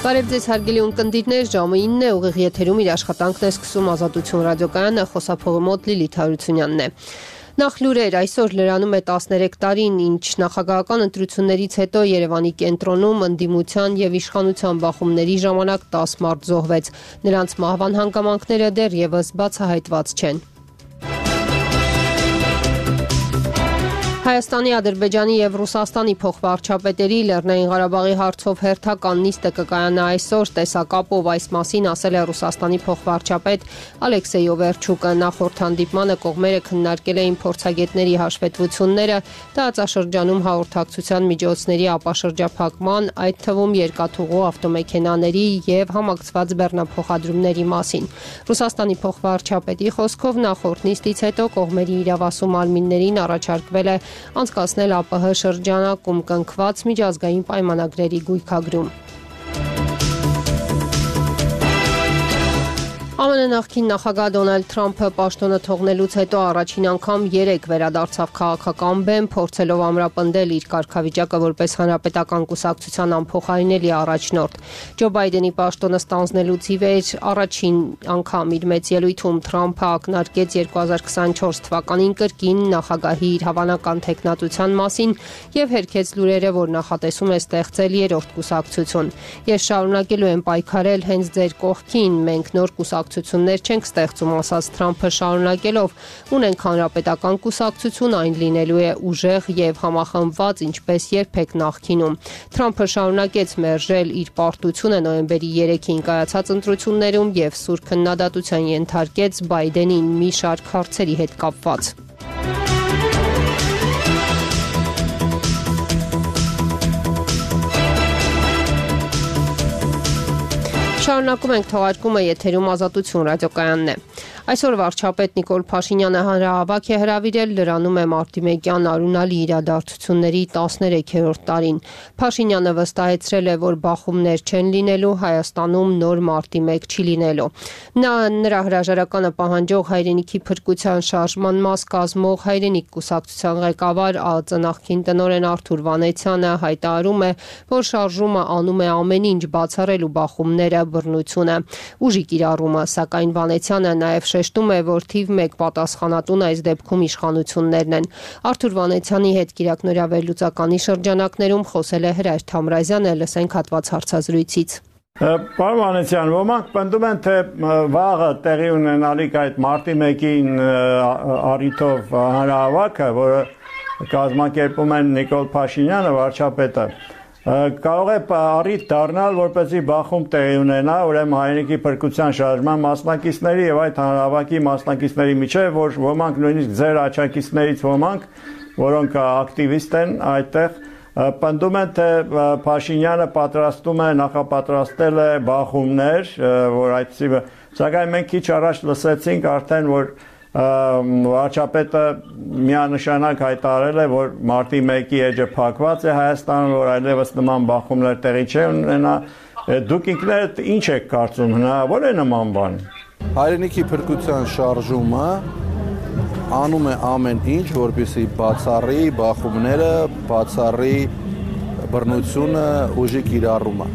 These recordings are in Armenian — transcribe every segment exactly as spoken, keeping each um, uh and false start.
Բարև ձեզ հարգելի ունկնդիրներ, ժամը ինն է, ուղիղ եթերում իր աշխատանքն է սկսում Ազատություն ռադիոկայանը, խոսափողի մոտ Լիլիթ Հարությունյանն է։ Նախ լուրեր, այսօր լրանում է տասներեք տարին, ինչ նախագահական ընտրություններից հետո Երևանի կենտրոնում ընդդիմության եւ իշխանության բախումների ժամանակ տասը մարդ զոհվեց։ Նրանց մահվան հանգամանքները դեռևս բացահայտված չեն։ Հայաստանի, Ադրբեջանի եւ Ռուսաստանի փոխվարչապետերի Լեռնային Ղարաբաղի հարցով հերթական նիստը կկայանա այսօր, տեսակապով այս մասին ասել է Ռուսաստանի փոխվարչապետ Ալեքսեյ Օվերչուկը։ Նախորդ հանդիպմանը կողմերը քննարկել էին փորձագետների հաշվետվությունները, տարածաշրջանում հաղորդակցության միջոցների ապաշրջափակման, այդ թվում երկաթուղու ավտոմեքենաների եւ համակցված բեռնափոխադրումների մասին։ Ռուսաստանի փոխվարչապետի խոսքով նախորդ նիստից հետո կողմերի իրավասու մարմիններին առաջարկվել է անցկացնել ԱՊՀ շրջանակում կնքված միջազգային պայմանագրերի գույքագրում։ ԱՄՆ նախկին նախագահ Դոնալդ Թրամփը պաշտոնը թողնելուց հետո առաջին անգամ երեք վերադարձավ քաղաքական բեմ, փորձելով ամրապնդել իր կարգավիճակը որպես հանրապետական կուսակցության անփոխարինելի առաջնորդ։ Ջո Բայդենի պաշտոնը ստանձնելուց ի վեր առաջին անգամ իր մեծ ելույթում Թրամփը ակնարկեց երկու հազար քսանչորս թվականին կրկին նախագահի իր հավանական թեկնածության մասին եւ հերքեց լուրերը, որ նախատեսում է ստեղծել երրորդ կուսակցություն։ Ես շարունակելու եմ պայքարել հենց ձեր կողքին, մենք նոր կուսակցություններ չենք ստեղծում, ասաց Թրամփը շարունակելով, ունենք հանրապետական կուսակցություն, այն լինելու է ուժեղ եւ համախմբված, ինչպես երբեք նախկինում։ Թրամփը շարունակեց մերժել իր պարտությունը նոյեմբերի երեքին կայացած ընտրություններում եւ սուր քննադատության ենթարկեց Բայդենին մի շարք հարցերի հետ կապված։ Շարունակում ենք թողարկումը, եթերում Ազատություն ռադիոկայանն է։ Այսօր վարչապետ Նիկոլ Փաշինյանը հանրահավաք է հրավիրել, լրանում է մարտիմեկյան արունալի իրադարձությունների տասներեքերորդ տարին։ Փաշինյանը վստահեցրել է, որ բախումներ չեն լինելու, Հայաստանում նոր մարտիմեկ չի լինելու։ Նա նրա հրաժարականը պահանջող հայրենիքի փրկության շարժման մաս կազմող հայրենիք կուսակցության ղեկավար ԱԱԾ նախկին տնօրեն Արթուր Վանեցյանը հայտարարում է, որ շարժումը անում է ամեն ինչ բացառելու բախումները, բռնությունը, ուժի կիրառումը, սակայն Վանեցյանը նաև շեշտում է, որ թիվ մեկ պատասխանատուն այս դեպքում իշխանություններն են։ Արթուր Վանեցյանի հետ կիրակնօրյա վերլուծականի շրջանակներում խոսել է Հրայր Թամրազյանը, լսենք հատված հարցազրույցից։ Պարոն Վանեցյան, ոմանք պնդում են, թե վաղը տեղի ունենալիք այդ մարտի մեկին առիթով հանրահավաքը, որը կազմակերպում են Նիկոլ Փաշինյանը, վարչապետը, կարող է առիթ դառնալ, որպեսզի բախում տեղի ունենա, ուրեմն հայրենիքի փրկության շարժման մասնակիցների եւ այդ հանրահավաքի մասնակիցների միջեւ, որ ոմանք նույնիսկ ձեր աչակիցներից ոմանք, որոնք ակտիվիստ են այդտեղ, պնդում են, թե Փաշինյանը պատրաստում է, նախապատրաստել է բախումներ, որ այդպիսի, սակայն մենք քիչ առաջ լսեցինք արդեն, որ վարչապետը միանշանակ հայտարարել է, որ մարտի մեկի էջը փակված է Հայաստանում, որ այլևս նման բախումներ տեղի չեն ունենա։ Դուք ինքներդ ինչ եք կարծում, հնարավոր է նման բան։ Հայրենիքի փրկության շարժումը անում է ամեն ինչ, որպեսզի բացառի բախումները, բացառի բռնությունը, ուժի կիրառումը։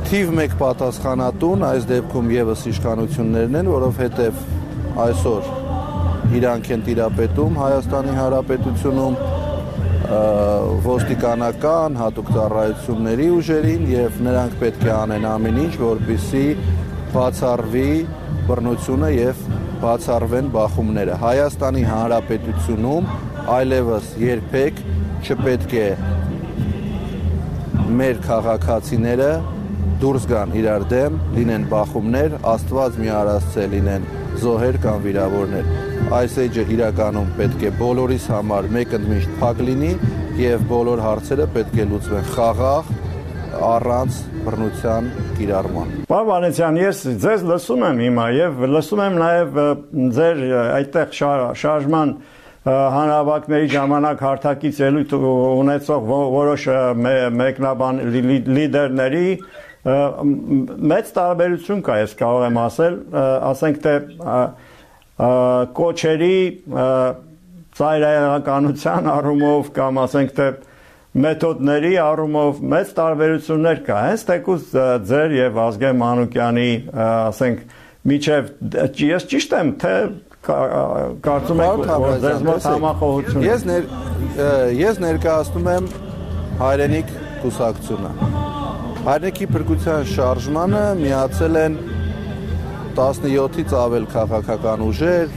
Թիվ մեկ պատասխանատուն այս դեպքում եւս իշխանություններն են, որովհետեւ այսօր իրանք են տիրապետում Հայաստանի Հանրապետությունում ոստիկանական հատուկ ծառայությունների ուժերին եւ նրանք պետք է անեն ամեն ինչ, որպեսզի բացառվի բռնությունը եւ բացառվեն բախումները։ Հայաստանի Հանրապետությունում այլևս երբեք չպետք է մեր քաղաքացիները դուրս գան իրար դեմ, լինեն բախումներ, Աստված մի արասցե լինեն զոհեր կամ վիրավորներ։ Այս էջը իրականում պետք է բոլորիս համար մեկընդմիշտ փակ լինի եւ բոլոր հարցերը պետք է լուծվեն խաղաղ, առանց բռնության կիրառման։ Պարոն Վանեցյան, ես ձեզ լսում եմ հիմա եւ լսում եմ նաեւ ձեր այդտեղ շարժման հանրահավաքների ժամանակ հարթակից ելույթ ունեցող որոշ մեկնաբան լիդերների մեծ տարբերություն կա, ես կարող եմ ասել, ասենք թե կոչերի ծայրահեղականության առումով կամ ասենք թե մեթոդների առումով մեծ տարբերություններ կա, հենց թեկուզ ձեր եւ Ազգեն Մանուկյանի, ասենք, միջև ես ճիշտ եմ, թե կարծում եք, որ ձեզ մոտ համախոհություն։ Ես ներ ես ներկայացնում եմ Հայրենիք կուսակցությունը։ Հայրենիքի փրկության շարժմանը միացել են տասնյոթից ավել քաղաքական ուժեր,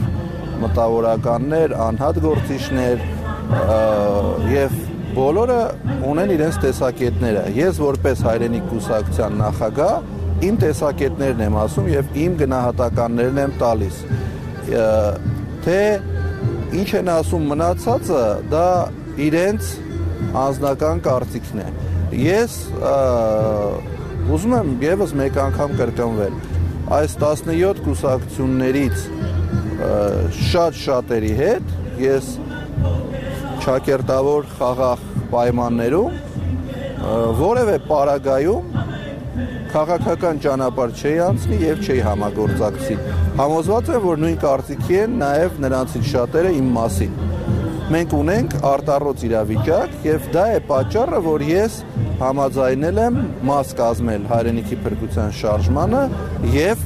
մտավորականներ, անհատ գործիչներ եւ բոլորը ունեն իրենց տեսակետները։ Ես որպես Հայրենիք կուսակցության նախագահ իմ տեսակետներն եմ ասում եւ իմ գնահատականներն եմ տալիս։ Թե ինչ են ասում մնացածը, դա իրենց անձնական կարծիքն է։ Ես ուզում եմ եւս մեկ անգամ կրկնվել։ Այս տասնյոթ կուսակցություններից շատ շատերի հետ ես ճակերտավոր խաղաղ պայմաններում որևէ պարագայում քաղաքական ճանապարհ չի անցնի եւ չի համագործակցի։ Համոզված եմ, որ նույն կարծիքի են նաեւ նրանցից շատերը իմ մասին։ Մենք ունենք արտառոց իրավիճակ եւ դա է պատճառը, որ ես համաձայնել եմ մաս կազմել Հայրենիքի փրկության շարժմանը եւ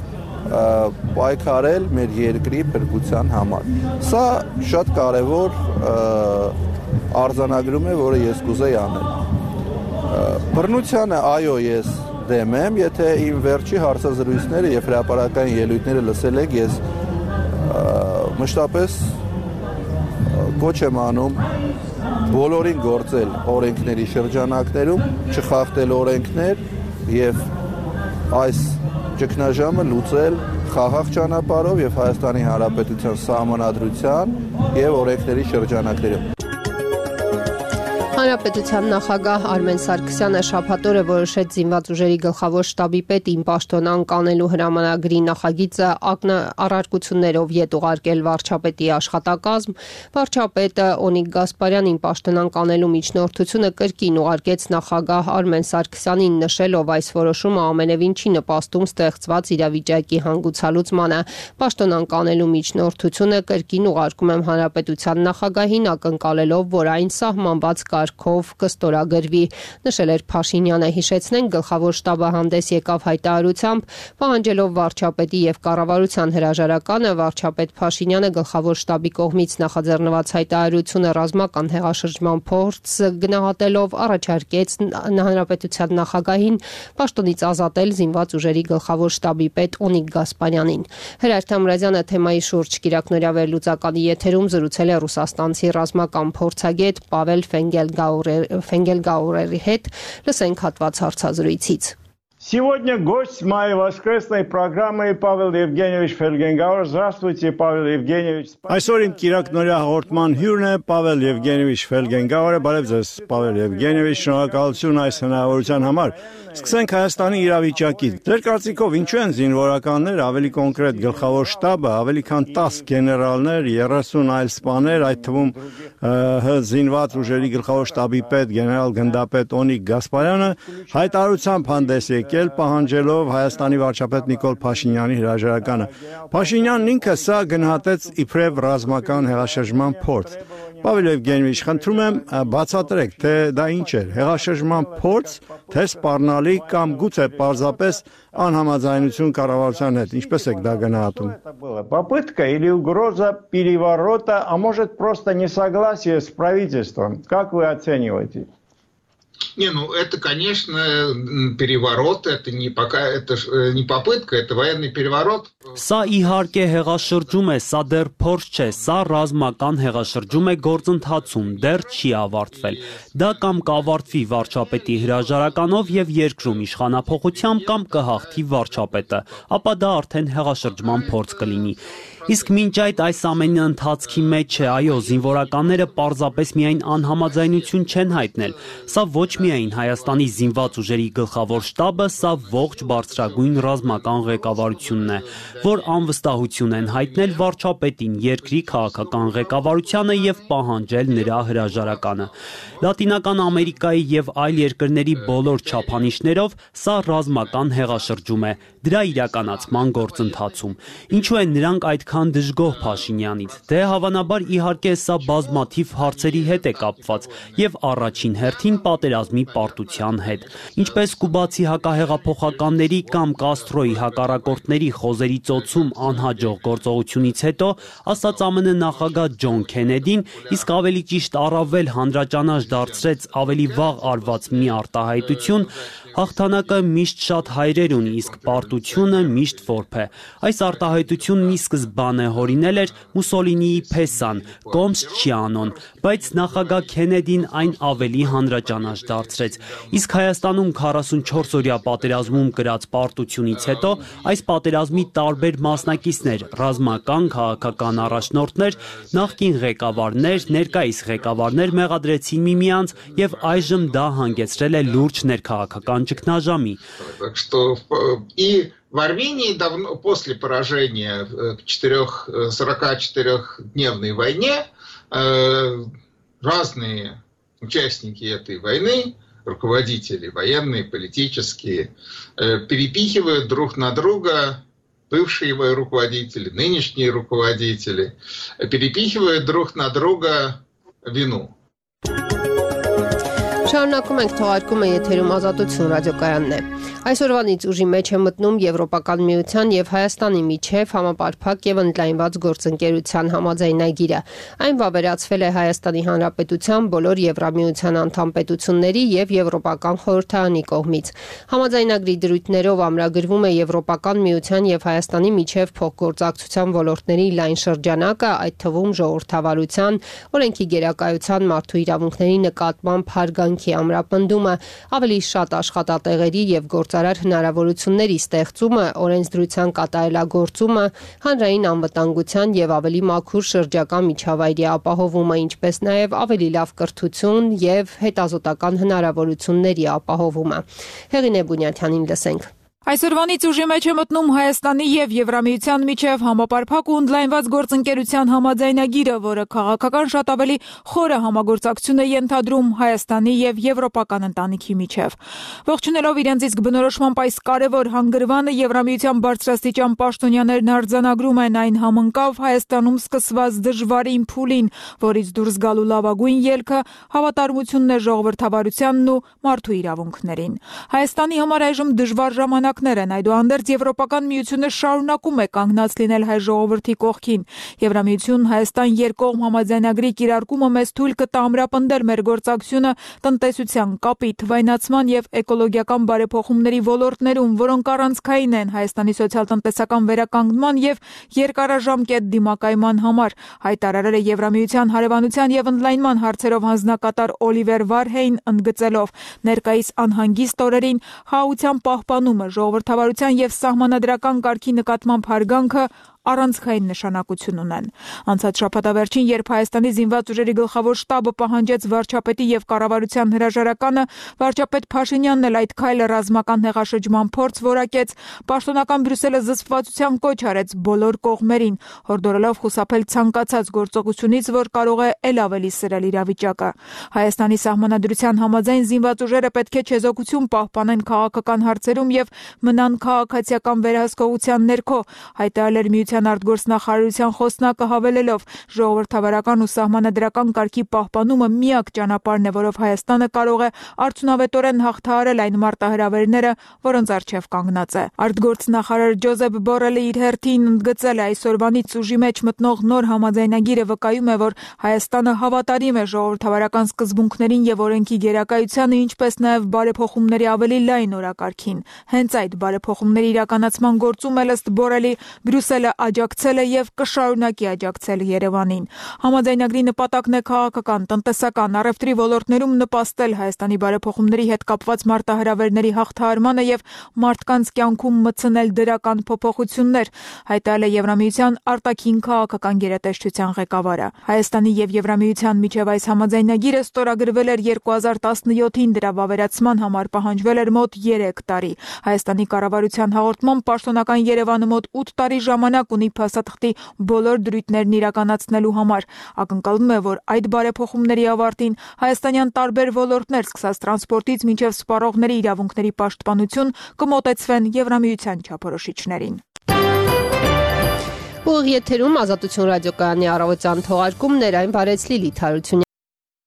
պայքարել մեր երկրի փրկության համար։ Սա շատ կարևոր արձանագրում է, որը ես կուզեի անել։ Բռնությանը այո, ես դեմ եմ, եթե իմ վերջի հարցազրույցները եւ հրապարակային ելույթները լսել եք, ես մշտապես կոչ եմ անում բոլորին գործել օրենքների շրջանակներում, չխախտել օրենքներ եւ այս ճգնաժամը լուծել խաղաղ ճանապարհով եւ Հայաստանի Հանրապետության Սահմանադրության եւ օրենքների շրջանակներում։ Հանրապետության նախագահ Արմեն Սարգսյանը շաբաթ օրը որոշեց զինված ուժերի գլխավոր շտաբի պետ իմ պաշտոնան կանելու հրամանագրի նախագիծը առարկություններով ետ ուղարկել վարչապետի աշխատակազմ։ Վարչապետը Օնիկ Գասպարյանին պաշտոնան կանելու միջնորդությունը կրկին ուղարկեց նախագահ Արմեն Սարգսյանին, նշելով այս որոշումը ամենևին չի նպաստում ստեղծված իրավիճակի հանգուցալուծմանը։ Պաշտոնան կանելու միջնորդությունը կրկին ուղարկում եմ հանրապետության նախագահին, ակնկալելով, որ այն սահմանված կարգով կստորագրվի, նշել էր Փաշինյանը։ Հիշեցնենք, գլխավոր շտաբը հանդես եկավ հայտարարությամբ, պահանջելով վարչապետի եւ կառավարության հրաժարականը։ Վարչապետ Փաշինյանը գլխավոր շտաբի կողմից նախաձեռնված հայտարարությունը ռազմական հեղաշրջման փորձ գնահատելով առաջարկեց հանրապետության նախագահին պաշտոնից ազատել զինված ուժերի գլխավոր շտաբի պետ Օնիկ Գասպարյանին։ Հրայր Թամրազյանը թեմայի շուրջ կիրակնօրյա վերլուծականի եթերում զրուցել է ռուսաստանցի ռազմական փորձագետ Պավել Ֆենգելգաուրերի հետ, լսենք հատված հարցազրույցից։ Сегодня гость моей воскресной программы Павел Евгеньевич Фельгенгауэр. Здравствуйте, Павел Евгеньевич. Այսօր իմ կիրակնօրյա հաղորդման հյուրն է Պավել Եվգենիևիչ Ֆելգենգաուրը։ Բարև ձեզ, Պավել Եվգենիևիչ, շնորհակալություն այս հնարավորության համար։ Սկսենք Հայաստանի իրավիճակից։ Ձեր կարծիքով ինչու են զինվորականներ, ավելի կոնկրետ գլխավոր շտաբը, ավելի քան տասը գեներալներ, երեսուն այլ սպաներ, այդ թվում զինված ուժերի գլխավոր շտաբի պետ գեներալ գնդապետ Օնիկ Գասպարյանը հայտարարությամբ հանդես եկել պահանջելով Հայաստանի վարչապետ Նիկոլ Փաշինյանի հրաժարականը։ Փաշինյանն ինքը սա գնահատեց իբրև ռազմական հեղաշրջման փորձ։ Պավել Եվգենիևիչ, խնդրում եմ բացատրեք, թե դա ինչ էր, հեղաշրջման փորձ, թե սպառնալիք կամ գուցե պարզապես անհամաձայնություն կառավարության հետ, ինչպես եք դա գնահատում։ Попытка или угроза переворота, а может просто несогласие с правительством. Как вы оцениваете? Не, ну это, конечно, переворот, это не пока, это не попытка, это военный переворот. Սա իհարկե հեղաշրջում է, սա դեռ փորձ չէ, սա ռազմական հեղաշրջում է գործընթացում, դեռ չի ավարտվել։ Դա կամ կավարտվի վարչապետի հրաժարականով եւ երկրում իշխանափոխությամբ կամ կհաղթի վարչապետը, ապա դա արդեն հեղաշրջման փորձ կլինի։ Իսկ մինչ այդ այս ամենի ընթացքի մեջ է, այո, զինվորականները պարզապես միայն անհամաձայնություն չեն հայտնել։ Սա ոչ միայն Հայաստանի զինված ուժերի գլխավոր շտաբը, սա ողջ բարձրագույն ռազմական ղեկավարությունն է, որ անվստահություն են հայտնել վարչապետին, երկրի քաղաքական ղեկավարությանը եւ պահանջել նրա հրաժարականը։ Լատինական Ամերիկայի եւ այլ երկրների բոլոր չափանիշներով սա ռազմական հեղաշրջում է, դրա իրականացման գործընթացում։ Ինչու են նրանք այդքան այդքան դժգոհ Փաշինյանից։ Դե հավանաբար իհարկե սա բազմաթիվ հարցերի հետ է կապված եւ առաջին հերթին պատերազմի պարտության հետ։ Ինչպես կուբացի հակահեղափոխականների կամ Կաստրոյի հակառակորդների խոզերի ծոցում անհաջող գործողությունից հետո, ասաց ԱՄՆ նախագահ Ջոն Քենեդին, իսկ ավելի ճիշտ առավել հանրաճանաչ դարձրեց ավելի վաղ արված մի արտահայտություն, հաղթանակը միշտ շատ հայրեր ունի, իսկ պարտությունը միշտ որբ է։ Այս արտահայտությունն ի սկզբանե հորինել էր Մուսոլինիի Փեսան, Կոմս Չիանոն, բայց նախագահ Քենեդին այն ավելի հանրաճանաչ դարձրեց։ Իսկ Հայաստանում քառասունչորս օրյա պատերազմում կրած պարտությունից հետո այս պատերազմի տարբեր մասնակիցներ, ռազմական, քաղաքական առաջնորդներ, նախկին ղեկավարներ, ներկայիս ղեկավարներ մեղադրեցին միմյանց եւ այժմ դա հանգեցրել է լուրջ ներքաղաքական ճգնաժամի։ Так что и в Армении давно, после поражения в четырех, сорокачетырёхдневной войне разные участники этой войны, руководители военные, политические, перепихивают друг на друга, бывшие руководители, нынешние руководители, перепихивают друг на друга вину. Շարունակում ենք թողարկումը եթերում Ազատություն ռադիոկայանն է։ Այսօրվանից ուժի մեջ է մտնում Եվրոպական միության եւ Հայաստանի միջև համապարփակ եւ ընդլայնված գործընկերության համաձայնագիրը։ Այն վավերացվել է Հայաստանի Հանրապետության բոլոր Եվրամիության անդամ պետությունների եւ Եվրոպական խորհրդարանի կողմից։ Համաձայնագրի դրույթներով ամրագրվում է Եվրոպական միության եւ Հայաստանի միջև փոխգործակցության ոլորտների լայն շրջանակը, այդ թվում ժողովրդավարության, օրենքի գերակայության, մարդու իրավունքների նկատմամբ հարգանքի ամրապնդումը, ավելի շատ աշխատատեղերի եւ գործարար հնարավորությունների ստեղծումը, օրենսդրության կատարելագործումը, հանրային անվտանգության եւ ավելի մաքուր շրջակա միջավայրի ապահովումը, ինչպես նաեւ ավելի լավ կրթություն եւ հետազոտական հնարավորությունների ապահովումը։ Հեղինե Բունյաթյանին լսենք։ Այսօրվանից ուժի մեջ է մտնում Հայաստանի եւ Եվրամիության միջև համապարփակ ու ընդլայնված գործընկերության համաձայնագիրը, որը քաղաքական շատ ավելի խորը համագործակցություն է ենթադրում Հայաստանի եւ Եվրոպական ընտանիքի միջև։ Ողջունելով իրենց իսկ բնորոշմամբ այս կարևոր հանգրվանը, Եվրամիության բարձրաստիճան պաշտոնյաներն արձանագրում են այն համընկավ Հայաստանում սկսված դժվարին փուլին, որից դուրս գալու լավագույն ելքը հավատարմությունն է ժողովրդավարությանն ու մարդու իրավունքներին։ Հայաստանի համար այժմ դժվար ժամանակ Այդուհանդերձ Եվրոպական միությունը շարունակում է կանգնած լինել հայ ժողովրդի կողքին։ Եվրամիություն Հայաստան երկկողմ համաձայնագրի կիրարկումը մեզ թույլ կտա ամրապնդել մեր գործակցությունը տնտեսության, կապի, թվայնացման եւ էկոլոգիական բարեփոխումների ոլորտներում, որոնք առանցքային են Հայաստանի սոցիալ-տնտեսական վերականգնման եւ երկարաժամկետ դիմակայման համար, հայտարարել է Եվրամիության հարևանության եւ ընդլայնման հարցերով հանձնակատար Օլիվեր Վարհեյն, ընդգծելով ներկայիս անհանգիստ օրերին հաղորդության պահպանումը, ժողովրդավարության եւ սահմանադրական կարգի նկատմամբ հարգանքը առանցքային նշանակություն ունեն։ Անցած շաբաթավերջին, երբ Հայաստանի զինված ուժերի գլխավոր շտաբը պահանջեց վարչապետի եւ կառավարության հրաժարականը, վարչապետ Փաշինյանն էլ այդ քայլը ռազմական հեղաշրջման փորձ որակեց, պաշտոնական Բրյուսելը զսպվածության կոչ արեց բոլոր կողմերին, հորդորելով խուսափել ցանկացած գործողությունից, որ կարող է ել ավելի սրել իրավիճակը։ Հայաստանի սահմանադրության համաձայն զինված ուժերը պետք է չեզոքություն պահպանեն քաղաքական հարցերում եւ մնան քաղաքացիական վերահսկողության ներքո, հայտարարել միության արտգործնախարարության խոսնակը հավելելով ժողովրդավարական ու սահմանադրական կարգի պահպանումը միակ ճանապարհն է, որով Հայաստանը կարող է արդյունավետորեն հաղթահարել այն մարտահրավերները, որոնց առջև կանգնած է։ Արտգործնախարար Ջոզեփ Բորելը իր հերթին ընդգծել է այսօրվանից ուժի մեջ մտնող նոր համաձայնագիրը վկայում է, որ Հայաստանը հավատարիմ է ժողովրդավարական սկզբունքներին եւ օրենքի գերակայությանը, ինչպես նաեւ բարեփոխումների ավելի լայն օրակարգին։ Հենց այդ բարեփոխումների իրականացման գործում էլ ըստ Բորելի Բրյուսելը աջակցել է եւ կշարունակի աջակցել Երևանին։ Համաձայնագրի նպատակն է քաղաքական, տնտեսական, առևտրի ոլորտներում նպաստել Հայաստանի բարեփոխումների հետ կապված մարտահրավերների հաղթահարմանը եւ մարդկանց կյանքում մտցնել դրական փոփոխություններ, հայտարարել է Եվրամիության արտաքին քաղաքական գերատեսչության ղեկավարը։ Հայաստանի եւ Եվրամիության միջև այս համաձայնագիրը ստորագրվել էր երկու հազար տասնյոթին, դրա վավերացման համար պահանջվել էր մոտ երեք տարի։ Հայաստանի կառավարության հաղորդմամբ պաշտոնական Երևանը մոտ ութ տարի ժամանակ ունի փաստաթղթի բոլոր դրույթներն իրականացնելու համար։ Ակնկալվում է, որ այդ բարեփոխումների ավարտին հայաստանյան տարբեր ոլորտներ, սկսած տրանսպորտից մինչև սպառողների իրավունքների պաշտպանություն, կմոտեցվեն Եվրամիության չափորոշիչներին։ Ուղիղ եթերում Ազատություն ռադիոկայանի առավոտյան թողարկումներ, այն բարեց Լիլիթ Հարությունյան։